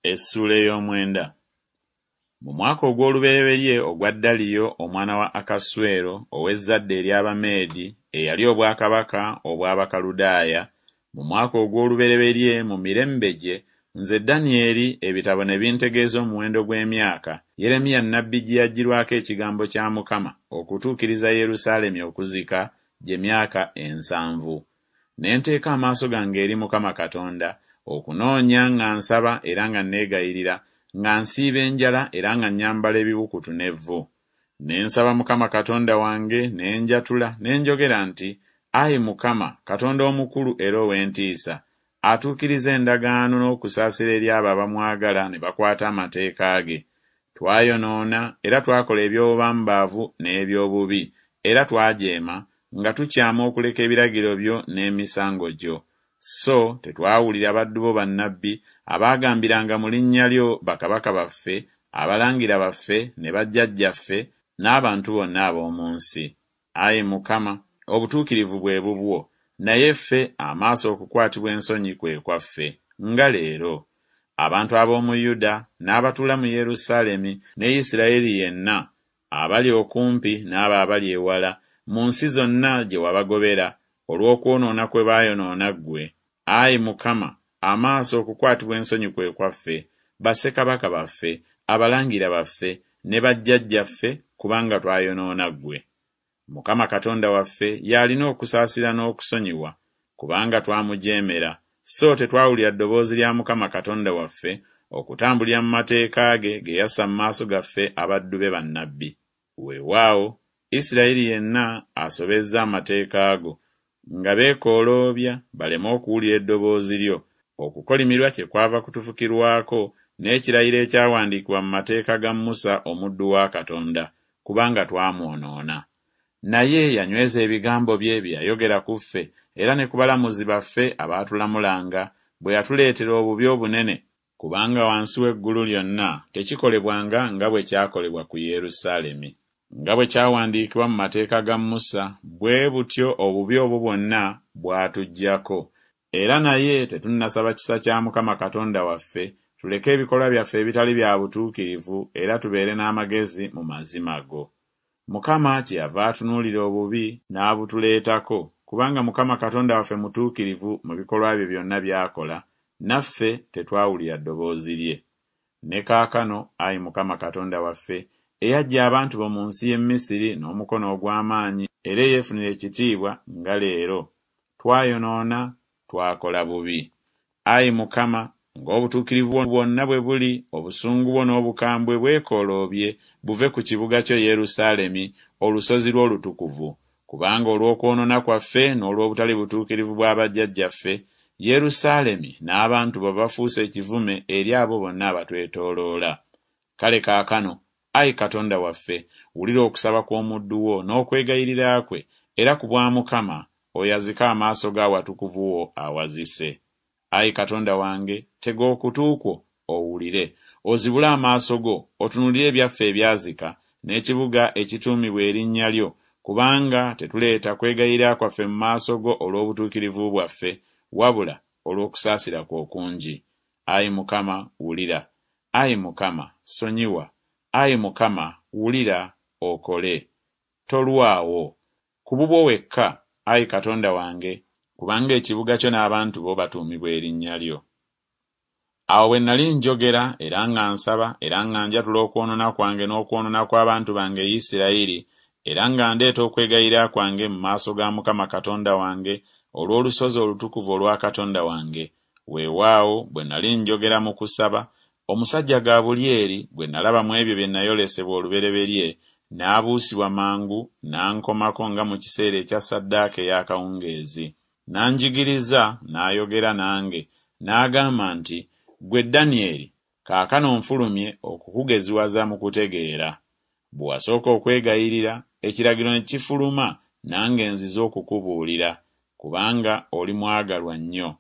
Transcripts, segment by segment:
Essuula ey'omwenda. Mu mwaka ogw'olubereberye ogwa Daliyo omwana wa Akaswero ow'ezzadde ery'Abameedi eyalya obwakabaka obw'Abakaludaaya, mu mwaka ogw'olubereberye mu mirembe gye, nze Danyeri ebitabo ne bintegeeza omuwendo gw'emyaka, Yeremiya nnabbi gye yaggyirwako ekigambo kya Mukama okutuukiriza Yerusaalemi okuzika, gye myaka ensanvu. Ne nteeka amaaso gange eri Mukama Katonda, okunoonya nga nsaba era nga nneegayirira, nga nsiiba enjala era nga nnyambala ebibukutu n'evvu. Ne nsaba Mukama Katonda wange, ne njatula, ne njogera nti, Ayi Mukama, Katonda omukulu era ow'entiisa, atuukiriza endagaano n'okusaasira eri abo abamwagala ne bakwata amateeka ge, twayonoona era twakola eby'obubambaavu n'eby'obubi, era twajeema, nga tukyama okuleka ebiragiro byo n'emisango gyo. So tetwawulira baddu bo bannabbi, abaagambiranga mu linnya lyo bakabaka baffe, abalangira baffe, ne bajjajjaffe, n'abantu bonna ab'omu nsi. Ayi Mukama, obutuukirivu bwe bubwo, naye ffe amaaso okukwatibwa ensonyi kwe kwaffe, nga leero. Abantu ab'omu Yuda, n'abatuula mu Yerusaalemi, ne Isiraeri yenna, abali okumpi n'abo abali ewala, mu nsi zonna gye wabagobera, olw'okwonoona kwe baayonoona ggwe, ayi Mukama, amaaso okukwatibwa ensonyi kwe kwaffe, bassekabaka baffe, abalangira baffe, ne bajjajjaffe, kubanga twayonoona ggwe. Mukama Katonda waffe y'alina okusaasira n'okusonyiwa, kubanga twamujeemera, so tetwawulira ddoboozi lya Mukama Katonda waffe okutambulira mu mateeka ge ge yassa mu maaso gaffe abaddu be bannabbi. Weewaawo, Isirayiri yenna asobezza amateeka go, nga beekooloobya baleme okuwulira eddoboozi lyo, okukolimirwa kyekwava kutufukirwako n'ekirayiro ekyawandiikibwa mu mateeka ga Musa omuddu wa Katonda, kubanga twamwonoona. Naye yanyweza ebigambo bye bye yayogera ku ffe era ne ku balamuzi baffe abaatulamulanga, bwe yatuleetera obubi obunene, kubanga wansi w'eggulu lyonna tekikolebwanga nga bwe kyakolebwa ku Yerusaalemi. Nga bwe kyawandiikibwa mu mateeka ga Musa, bwe butyo obubi obwo bwonna bwatujjako. Era naye tetunnasaba kisa kya Mukama Katonda waffe, tuleke ebikolwa byaffe ebitali bya butuukirivu era tubeere n'amagezi mu mazima go. Mukama kyeyava atunuulira obubi n'abutuleetako, kubanga Mukama Katonda waffe mutuukirivu mu bikolwa bye byonna by'akola, naffe tetwawulira ddoboozi lye. Ne kaakano, ayi Mukama Katonda waffe, eyaggya abantu bo mu nsi y'e Misiri n'omukono ogw'amaanyi era eyeefunira ekitiibwa nga leero, twayonoona, twakola bubi. Ayi Mukama, ng'obutuukirivu bwo bwonna bwe buli, obusungu bwo n'obukambwe bwekooloobye buve ku kibuga kyo Yerusaalemi, olusozi lwo olutukuvu. Kubanga olw'okwonoona kwaffe n'olw'obutali butuukirivu bwa bajjajjaffe, Yerusaalemi n'abantu bo bafuuse ekivume eri abo bonna abatwetooloola. Kale kaakano, ayi Katonda waffe, wulira okusaba kw'omuddu wo n'okwegayirira kwe, era ku bwa Mukama, oyazike amaaso go awatukuvu wo awazise. Ayi Katonda wange, tega okutu kwo, owulire, ozibule amaaso go, otunuulire ebyaffe ebyazika, n'ekibuga ekituumibwa erinnya lyo, kubanga tetuleeta kwegayirira kwaffe mu maaso go olw'obutuukirivu bwaffe, wabula olw'okusaasira kwo okungi. Ayi Mukama, wulira. Ayi Mukama, sonyiwa. Ayi Mukama, wulira, okole. Tolwawo. Ku bubwo wekka, ayi Katonda wange, kubanga ekibuga kyo n'abantu bo batuumibwa erinnya lyo. Awo bwe nnali njogera era nga nsaba era nga njatula okwonoona kwange n'okwonoona kw'abantu bange Isirayiri, era nga ndeeta okwegayirira kwange mu maaso ga Mukama Katonda wange olw'olusozi olutukuvu olwa Katonda wange, weewaawo, bwe nnali njogera mu kusaba, omusajja Gabulyeri, gwe nnalaba mu ebyo bye nnayolesebwa olubereberye, n'abuusibwa mangu n'ankomako nga mu kiseera ekya ssaddaaka ey'akawungeezi. N'anjigiriza, n'ayogera nange, n'agamba nti, Ggwe Danyeri, kaakano nfulumye okukugeziwaza mu kutegeera. Bwe wasooka okwegayirira, ekiragiro ne kifuluma, nange nzize okukubuulira, kubanga oli mwagalwa nnyo.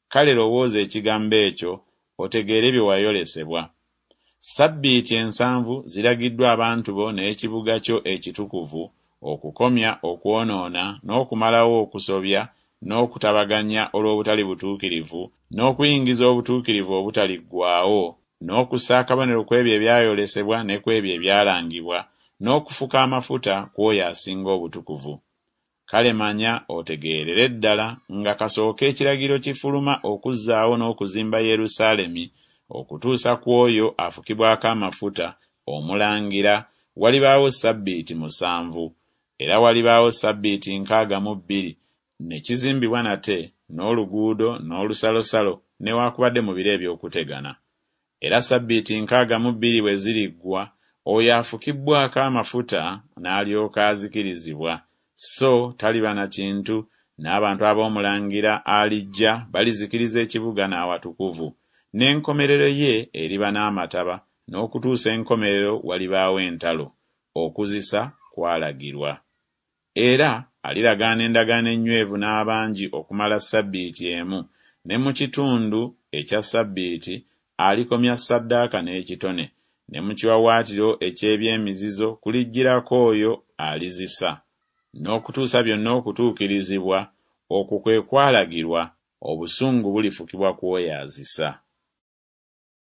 Kale lowooza ekigambo ekyo, otegeere bye wayolesebwa. Ssabbiiti ensanvu ziragiddwa abantu bo n'ekibuga kyo ekitukuvu, okukomya okwonoona n'okumalawo okusobya n'okutabaganya olw'obutali butuukirivu n'okuyingiza obutuukirivu obutaliggwaawo, N'okussa akabonero ku ebyo ebyayolesebwa ne ku ebyo ebyalangibwa, n'okufuka amafuta ku oyo asinga obutukuvu. Kale manya otegeerere ddala nga kasooka ekiragiro kifuluma okuzzaawo n'okuzimba Yerusaalemi okutuusa ku oyo afukibwako amafuta, omulangira, walibaawo ssabbiiti musanvu, era walibaawo ssabbiiti 62, Ne kizimbibwa nate, n'oluguudo, n'olusalosalo, newakubadde mu biro eby'okutegana. Era ssabbiiti 62 bwe ziriggwa, oyo afukibbwako amafuta n'alyoka azikirizibwa, so taliba na kintu, n'abantu ab'omulangira alijja balizikiriza ekibuga n'awatukuvu, n'enkomerero ye eriba n'amataba, n'okutuusa enkomerero walibaawo entalo, okuzisa kwalagirwa. Era aliragaana endagaano ennywevu n'abangi okumala ssabbiiti emu, ne mu kitundu ekya ssabbiiti alikomya ssaddaaka n'ekitone, ne mu kiwawaatiro eky'eby'emizizo kulijjirako oyo alizisa, n'okutuusa byonna okutuukirizibwa, okwo kwe kwalagirwa, obusungu bulifukibwa ku oyo azisa.